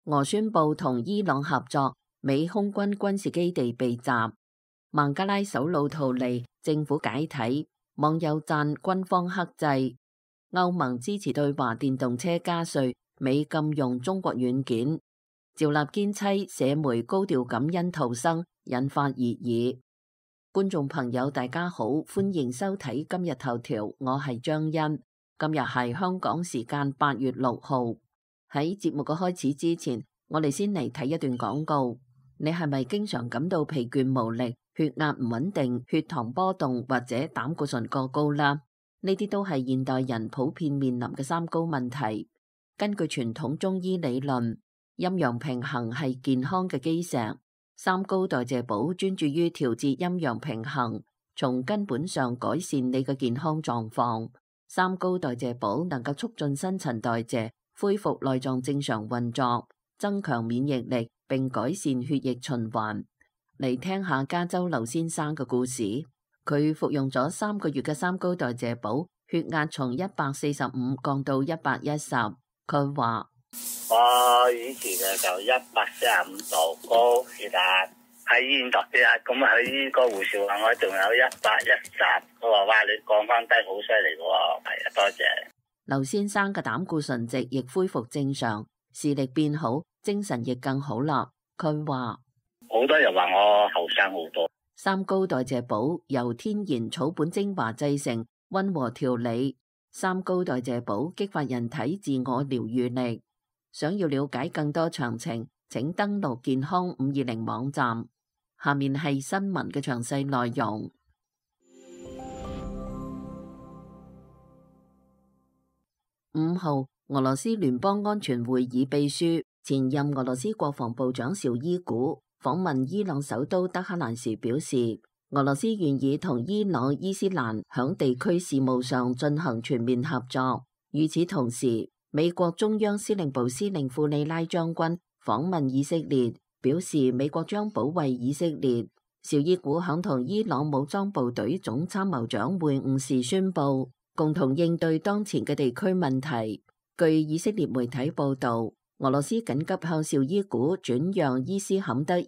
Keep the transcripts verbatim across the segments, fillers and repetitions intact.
俄宣布同伊朗合作，美空軍軍事基地被襲。孟加拉首腦逃離，政府解體，網友讚軍方克制。歐盟支持對華電動車加稅，美禁用中國軟件。趙立堅妻社媒高調感恩逃生，引發熱議。觀眾朋友大家好，歡迎收睇今日頭條，我係張欣。今日係香港時間八月六號。喺節目嘅開始之前，我哋先嚟睇一段廣告。你係咪經常感到疲倦無力、血壓唔穩定、血糖波動或者膽固醇過高啦？呢啲都係現代人普遍面臨嘅三高問題。根據傳統中醫理論，陰陽平衡係健康嘅基石。三高代謝寶專注於調節陰陽平衡，從根本上改善你嘅健康狀況。三高代謝寶能夠促進新陳代謝，恢復內臟正常運作，增強免疫力，並改善血液循環。嚟聽下加州劉先生嘅故事。佢服用咗三個月嘅三高代謝寶，血壓從一百四十五降到一百一十。佢話：我以前嘅就一百四十五度高血壓，喺醫院度血壓，咁喺呢個護士話我仲有一百一十，佢話哇你降翻低好犀利嘅喎，係啊，多謝。劉先生嘅膽固醇值亦恢復正常，視力變好，精神亦更好啦。佢話：好多人話我後生好多。三高代謝寶由天然草本精華製成，溫和調理。三高代謝寶激發人體自我療愈力。想要了解更多詳情，請登錄健康五二零網站。下面係新聞嘅詳細內容。五號，俄羅斯聯邦安全會議秘書、前任俄羅斯國防部長紹伊古訪問伊朗首都德黑蘭時表示，俄羅斯願意同伊朗伊斯蘭響地區事務上進行全面合作。與此同時，美國中央司令部司令庫里拉將軍訪問以色列，表示美國將保衛以色列。紹伊古響同伊朗武裝部隊總參謀長會晤時宣布，共同應對當前嘅地區問題。據以色列媒體報道，俄羅斯緊急向紹伊古轉讓伊斯坎德爾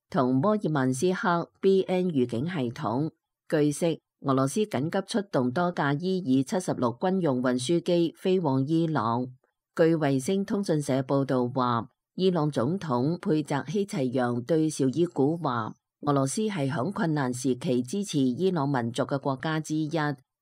同摩爾曼斯克 B N 預警系統。據悉，俄羅斯緊急出動多架伊爾七十六軍用運輸機飛往伊朗。據衛星通訊社報道話，伊朗總統佩澤希齊揚對紹伊古話，俄羅斯係響困難時期支持伊朗民族嘅國家之一，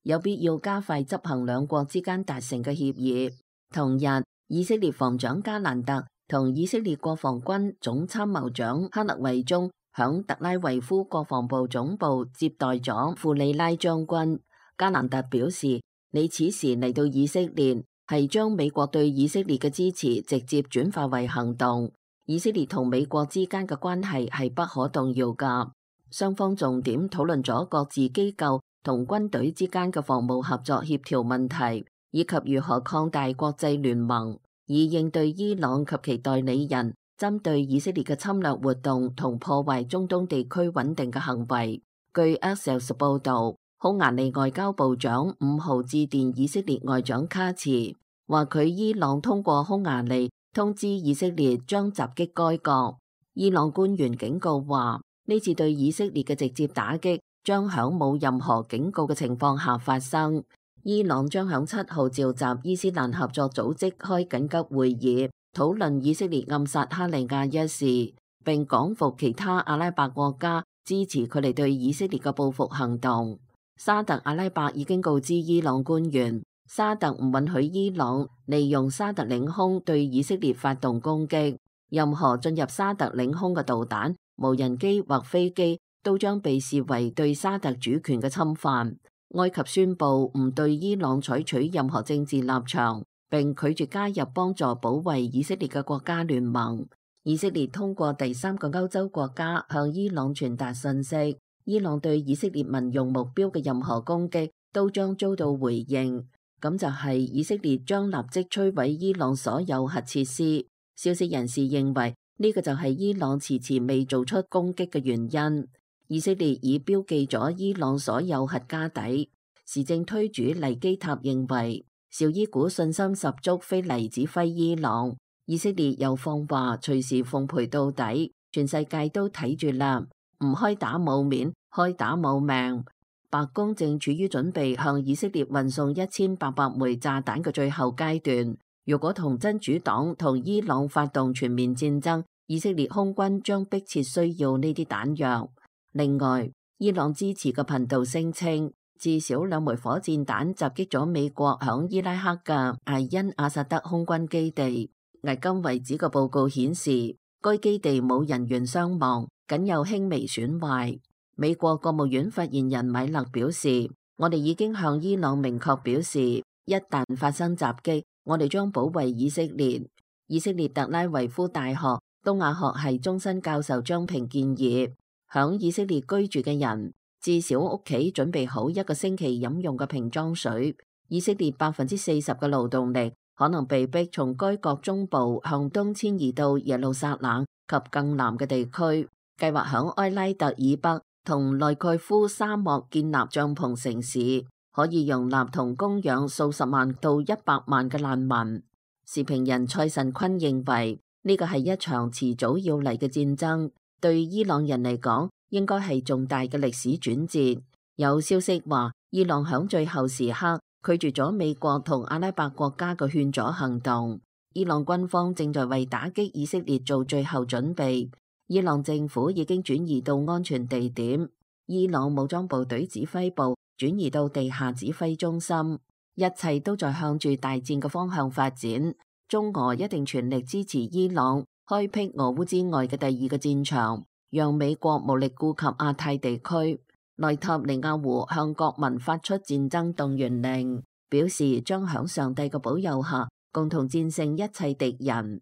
有必要加快執行兩國之間達成嘅協議。同日，以色列防長加蘭特同以色列國防軍總參謀長克勒維宗響特拉維夫國防部總部接待咗庫里拉將軍。加蘭特表示，你此時嚟到以色列係將美國對以色列嘅支持直接轉化為行動。以色列同美國之間嘅關係係不可動搖噶。雙方重點討論咗各自機構同軍隊之間嘅防務合作協調問題，以及如何擴大國際聯盟，以應對伊朗及其代理人針對以色列嘅侵略活動同破壞中東地區穩定嘅行為。據 Axios 報導，匈牙利外交部長五號致電以色列外長卡茨，話佢伊朗通過匈牙利通知以色列將襲擊該國。伊朗官員警告話，呢次對以色列嘅直接打擊將響冇任何警告嘅情況下發生。伊朗將響七號召集伊斯蘭合作組織開緊急會議，討論以色列暗殺哈利亞一事，並講服其他阿拉伯國家支持佢哋對以色列嘅報復行動。沙特阿拉伯已經告知伊朗官員，沙特唔允許伊朗利用沙特領空對以色列發動攻擊，任何進入沙特領空嘅導彈、無人機或飛機都將被視為對沙特主權嘅侵犯。埃及宣布唔對伊朗採取任何政治立場，並拒絕加入幫助保衛以色列嘅國家聯盟。以色列通過第三個歐洲國家向伊朗傳達信息，伊朗對以色列民用目標嘅任何攻擊都將遭到回應。咁就係以色列將立即摧毀伊朗所有核設施。消息人士認為呢個就係伊朗遲遲未做出攻擊嘅原因。以色列已標記咗伊朗所有核家底。時政推主黎基塔認為，紹伊古信心十足，非黎指揮伊朗。以色列又放話隨時奉陪到底，全世界都睇住啦，唔開打冇面，開打冇命。白宮正處於準備向以色列運送一千八百枚炸彈嘅最後階段。如果同真主黨同伊朗發動全面戰爭，以色列空軍將迫切需要呢啲彈藥。另外，伊朗支持嘅頻道聲稱，至少兩枚火箭彈襲擊咗美國響伊拉克嘅艾因阿薩德空軍基地。迄今為止嘅報告顯示，該基地冇人員傷亡，僅有輕微損壞。美國國務院發言人米勒表示，我哋已經向伊朗明確表示，一旦發生襲擊，我哋將保衛以色列。以色列特拉維夫大學東亞學系終身教授張平建議，響以色列居住嘅人至少屋企準備好一個星期飲用嘅瓶裝水。以色列百分之四十嘅勞動力可能被迫從該國中部向東遷移到耶路撒冷及更南嘅地區，計劃響埃拉特以北同內蓋夫沙漠建立帳篷城市，可以容納同供養數十萬到一百萬嘅難民。時評人蔡慎坤認為，呢個係一場遲早要嚟嘅戰爭，對伊朗人嚟講應該係重大嘅歷史轉折。有消息話，伊朗響最後時刻拒絕咗美國同阿拉伯國家嘅勸阻行動。伊朗軍方正在為打擊以色列做最後準備。伊朗政府已經轉移到安全地點，伊朗武裝部隊指揮部轉移到地下指揮中心，一切都在向住大戰嘅方向發展。中俄一定全力支持伊朗開闢俄烏之外嘅第二個戰場，讓美國無力顧及亞太地區。內塔尼亞胡向國民發出戰爭動員令，表示將響上帝嘅保佑下共同戰勝一切敵人。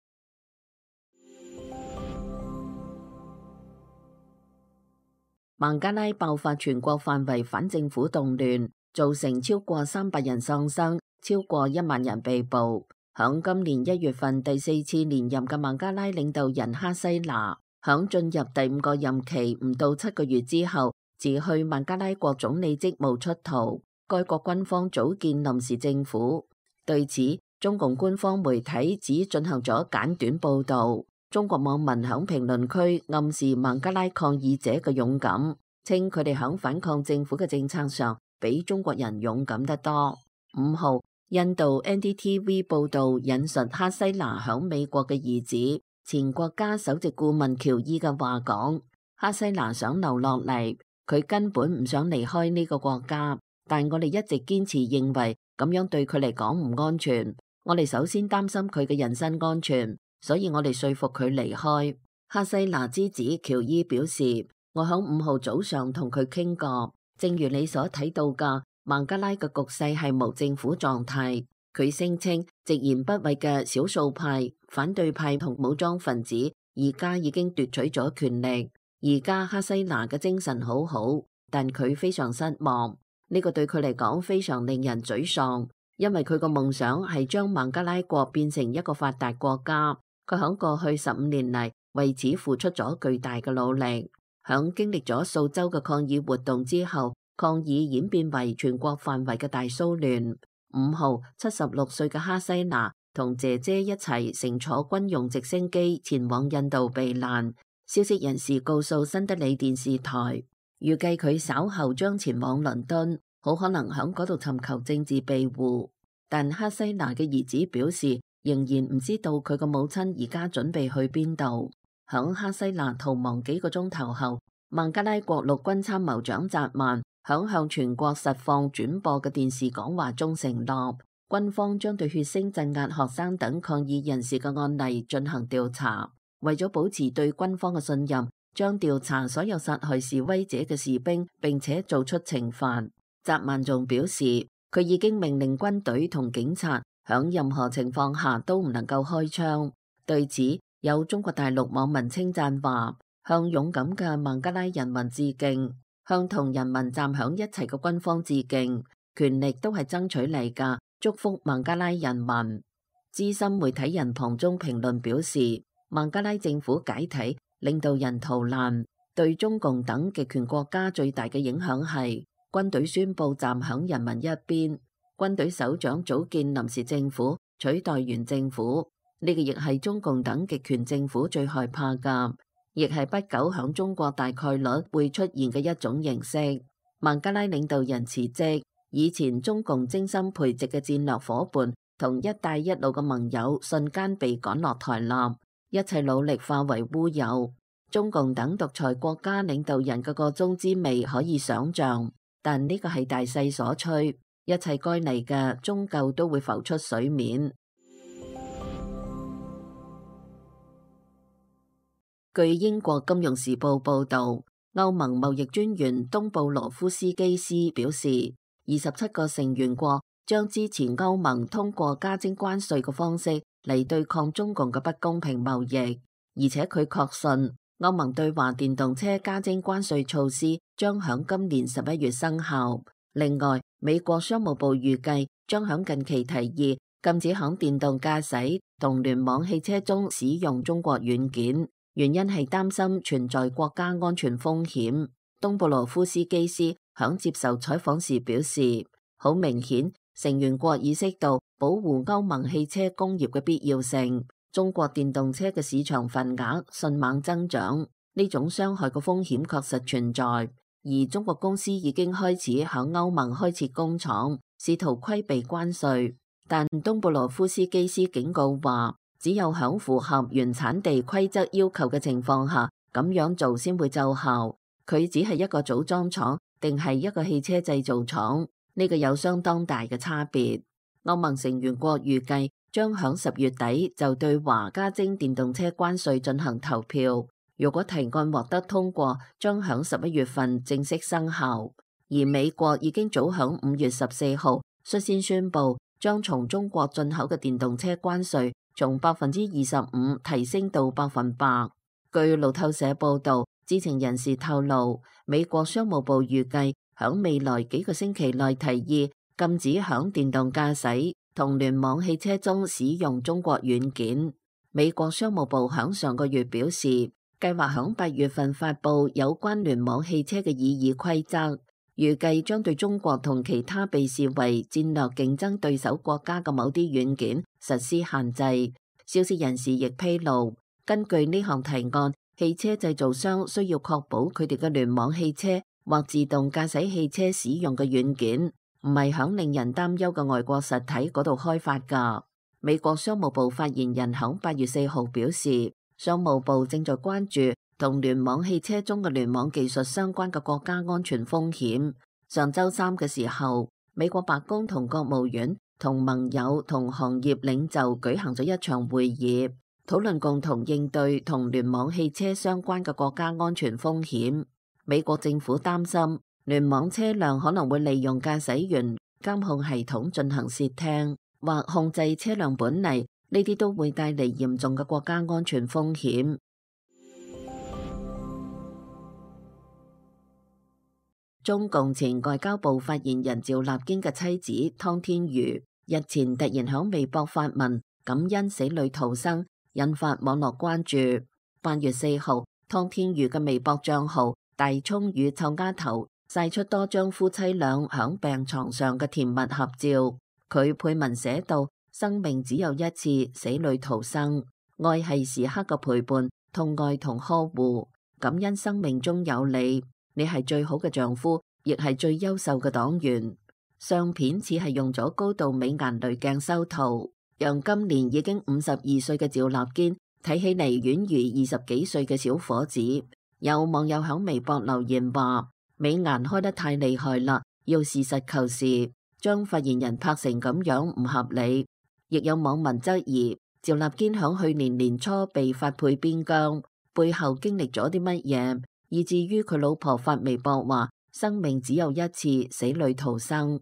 孟加拉爆發全國範圍反政府動亂，造成超過三百人喪生，超過一萬人被捕。響今年一月份第四次連任嘅孟加拉領導人哈西娜，響進入第五個任期唔到七個月之後，辭去孟加拉國總理職務出逃。該國軍方組建臨時政府。對此，中共官方媒體只進行咗簡短報導。中國網民響評論區暗示孟加拉抗議者嘅勇敢，稱佢哋響反抗政府嘅政策上比中國人勇敢得多。五號，印度 N D T V 報導引述哈西娜響美國嘅兒子、前國家首席顧問喬伊嘅話講，哈西娜想留落嚟，佢根本唔想離開呢個國家，但我哋一直堅持認為咁樣對佢嚟講唔安全。我哋首先擔心佢嘅人身安全，所以我哋說服佢離開。哈西娜之子喬伊表示，我響五號早上同佢傾過，正如你所睇到嘅，孟加拉嘅局勢係無政府狀態。佢聲稱，直言不諱嘅少數派、反對派同武裝分子而家已經奪取咗權力。而家哈西娜嘅精神好好，但佢非常失望。呢個對佢嚟講非常令人沮喪，因為佢個夢想係將孟加拉國變成一個發達國家。佢響過去十五年嚟為此付出咗巨大嘅努力。響經歷咗數週嘅抗議活動之後，抗議演變為全國範圍嘅大騷亂。五號，七十六歲嘅哈西娜同姐姐一齊乘坐軍用直升機前往印度避難。消息人士告訴新德里電視台，預計佢稍後將前往倫敦，好可能響嗰度尋求政治庇護。但哈西娜嘅兒子表示，仍然唔知道佢個母親而家準備去邊度。響哈西娜逃亡幾個鐘頭後，孟加拉國陸軍參謀長扎曼響向全國實況轉播嘅電視講話中承諾，軍方將對血腥鎮壓學生等抗議人士嘅案例進行調查。為咗保持對軍方嘅信任，將調查所有殺害示威者嘅士兵，並且做出懲罰。扎曼仲表示，佢已經命令軍隊同警察響任何情況下都唔能夠開槍。對此，有中國大陸網民稱讚話，向勇敢嘅孟加拉人民致敬，向同人民站響一齊嘅軍方致敬，權力都係爭取嚟㗎，祝福孟加拉人民。資深媒體人龐中評論表示，孟加拉政府解體，領導人逃難，對中共等極權國家最大嘅影響係軍隊宣布站響人民一邊，軍隊首長組建臨時政府取代原政府。呢個亦係中共等極權政府最害怕㗎，亦係不久響中國大概率會出現嘅一種形式。孟加拉領導人辭職，以前中共精心培植嘅戰略夥伴同一帶一路嘅盟友瞬間被趕落台立，一切努力化為烏有。中共等獨裁國家領導人嘅個中滋味可以想象，但呢個係大勢所趨，一切該嚟嘅終究都會浮出水面。據英國金融時報報導，歐盟貿易專員東布羅夫斯基斯表示，二十七個成員國將支持歐盟通過加徵關稅嘅方式嚟對抗中共嘅不公平貿易，而且佢確信歐盟對華電動車加徵關稅措施將響今年十一月生效。另外，美國商務部預計將響近期提議禁止響電動駕駛同聯網汽車中使用中國軟件。原因係擔心存在國家安全風險。東布羅夫斯基斯響接受採訪時表示，好明顯成員國意識到保護歐盟汽車工業嘅必要性。中國電動車嘅市場份額迅猛增長，呢種傷害嘅風險確實存在。而中國公司已經開始響歐盟開設工廠，試圖規避關稅。但東布羅夫斯基斯警告話，只有響符合原產地規則要求嘅情況下，咁樣做先會奏效。佢只係一個組裝廠，定係一個汽車製造廠？呢個有相當大嘅差別。歐盟成員國預計將響十月底就對華加徵電動車關稅進行投票。如果提案獲得通過，將響十一月份正式生效。而美國已經早響五月十四號率先宣布，將從中國進口嘅電動車關稅從百分之二十五提升到百分百。據路透社報道，知情人士透露，美國商務部預計響未來幾個星期內提議禁止響電動駕駛同聯網汽車中使用中國軟件。美國商務部響上個月表示，計劃響八月份發布有關聯網汽車嘅擬議規則，預計將對中國同其他被視為戰略競爭對手國家嘅某啲軟件實施限制。消息人士亦披露，根據呢項提案，汽車製造商需要確保佢哋嘅聯網汽車或自動駕駛汽車使用嘅軟件唔係響令人擔憂嘅外國實體嗰度開發㗎。美國商務部發言人響八月四號表示，商務部正在關注同聯網汽車中嘅聯網技術相關嘅國家安全風險。上週三嘅時候，美國白宮同國務院同盟友同行業領袖舉行咗一場會議，討論共同應對同聯網汽車相關嘅國家安全風險。美國政府擔心聯網車輛可能會利用駕駛員監控系統進行竊聽或控制車輛本嚟，呢啲都會帶嚟嚴重嘅國家安全風險。中共前外交部發言人趙立堅嘅妻子湯天瑜日前突然響微博發文感恩死裏逃生，引發網絡關注。八月四號，湯天瑜嘅微博賬號大蔥與臭丫頭晒出多張夫妻倆響病床上嘅甜蜜合照。佢配文寫道：生命只有一次，死裏逃生，愛係時刻嘅陪伴，痛愛同呵護，感恩生命中有你，你係最好嘅丈夫，亦係最優秀嘅黨員。相片似係用咗高度美顏濾鏡修圖，讓今年已經五十二歲嘅趙立堅睇起嚟宛如二十幾歲嘅小伙子。有網友響微博留言話：美顏開得太厲害啦，要實事求是，將發言人拍成咁樣唔合理。亦有網民質疑趙立堅響去年年初被發配邊疆，背後經歷咗啲乜嘢，以至於佢老婆發微博話生命只有一次，死裏逃生。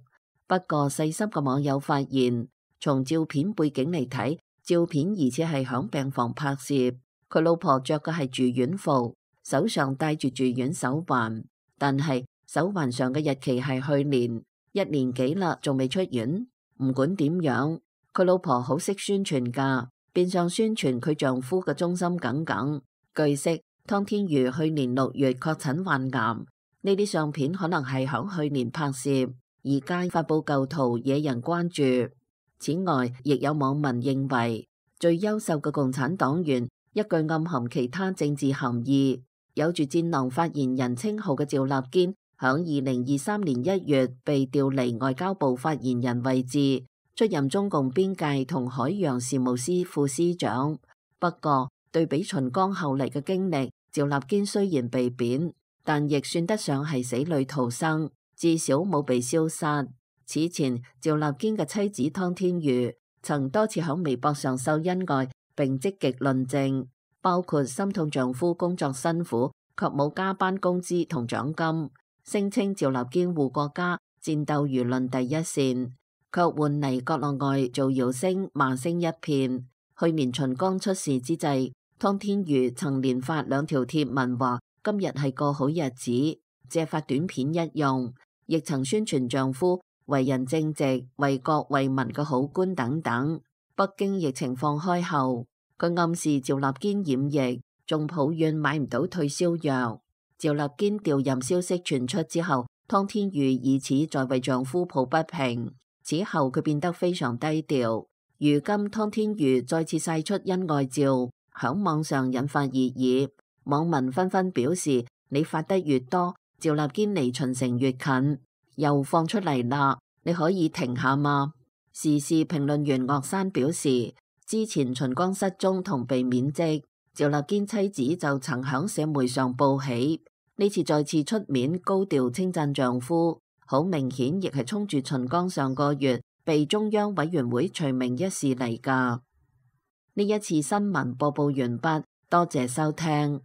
不過細心嘅網友發現，從照片背景嚟睇，照片疑似係響病房拍攝，佢老婆着嘅係住院服，手上戴住住院手環，但係手環上嘅日期係去年，一年幾啦，仲未出院。唔管點樣，佢老婆好識宣傳噶，變相宣傳佢丈夫嘅忠心耿耿。據悉，湯天瑜去年六月確診患癌，呢啲相片可能係響去年拍攝，而家發布舊圖惹人關注。此外，亦有網民認為最優秀嘅共產黨員，一句暗含其他政治含義，有住戰狼發言人稱號嘅趙立堅，響二零二三年一月被調離外交部發言人位置，出任中共邊界同海洋事務司副司長。不過對比秦剛後嚟嘅經歷，趙立堅雖然被貶，但亦算得上係死裏逃生，至少冇被消殺。此前趙立堅嘅妻子湯天瑜曾多次喺微博上秀恩愛，並積極論證，包括心痛丈夫工作辛苦卻冇加班工資同獎金，聲稱趙立堅護國家，戰鬥輿論第一線，卻換嚟國內外造謠聲罵聲一片。去年秦剛出事之際，湯天瑜曾連發兩條貼文話今日係個好日子，借發短片一用，亦曾宣傳丈夫為人正直、為國為民嘅好官等等。北京疫情放開後，佢暗示趙立堅染疫，仲抱怨買唔到退燒藥。趙立堅調任消息傳出之後，湯天瑜以此在為丈夫抱不平。此後佢變得非常低調。如今湯天瑜再次晒出恩愛照，響網上引發熱議，網民紛紛表示：你發得越多，趙立堅離秦城越近。又放出嚟啦，你可以停下嗎？時事評論員岳山表示，之前秦剛失蹤同被免職，趙立堅妻子就曾響社媒上報喜，呢次再次出面高調稱讚丈夫，好明顯亦係衝住秦剛上個月被中央委員會除名一事嚟㗎。呢一次新聞播報完畢，多謝收聽。